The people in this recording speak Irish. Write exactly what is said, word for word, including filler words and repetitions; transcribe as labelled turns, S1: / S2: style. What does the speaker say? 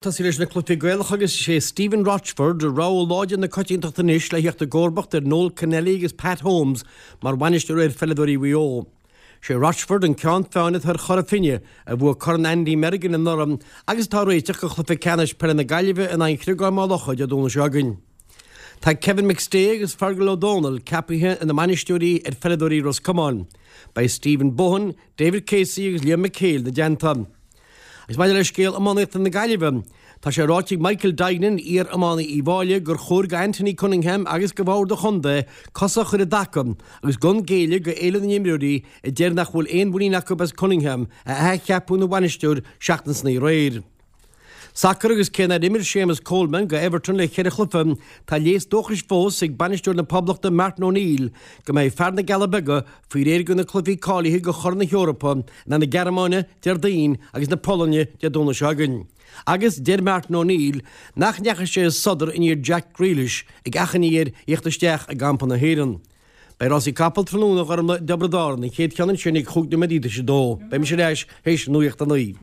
S1: Tosaí leis na cluichí Gaelacha agus is é Stephen Rochford rogha láidir na coitiantachta anois le theacht i gcomharbacht ar Noel Connelly agus Pat Holmes mar bhainisteoir ar pheileadóirí Mhaigh Eo. Sé Rochford an ceann feadhna atá ar Chora Finne a bhuaigh Corn Andy Merrigan anuraidh agus atá réiteach do chluiche ceannais peile na Gaillimhe in aghaidh Shligeach Maigh Locha Dé Domhnaigh seo chugainn. Tá Kevin McStay agus Fergal O'Donnell ceaptha ina mbainisteoirí ar pheileadóirí Ros Comáin. Beidh Stephen Bohan, David Casey agus Liam McHale ina dteannta. Agus maidir le scéal iománaíochta na Gaillimhe, Tá sé ráite ag Michael Duignan iar-iománaí Uíbh Fhailí gur chóir go Anthony Cunningham agus go bhord an chontae cosa a chur i dtaca agus gan géilleadh go éileamh na n-imreoirí a deir nach bhfuil aon mhuinín acu as Cunningham a athcheapadh ina bhainisteoir seachtain san aréir. Sacar agus cé nár imir Séamus Coleman go Everton le ceithre chluiche tá léas dóchais fós ag bainisteoir na Poblachta Martin O'Neill go mbeidh fear na gCealla Beaga faoi réir go na cluichí cáilithe go Chorn na hEorpa na na Gearmáine Déardaoin agus na Polainne Dé Domhnaigh seo chugainn. Agus deir Martin O'Neill nach ndeachaigh sé sodar in iar Jack Grealish ag achainí air theacht isteach i gcampa na hÉireann. Beidh rásaí capall tráthnóna i dTiobraid Árann an chéad cheann sin ag chúig nóiméad tar éis a dó, Beidh mise ar ais théis nuacht a naoi.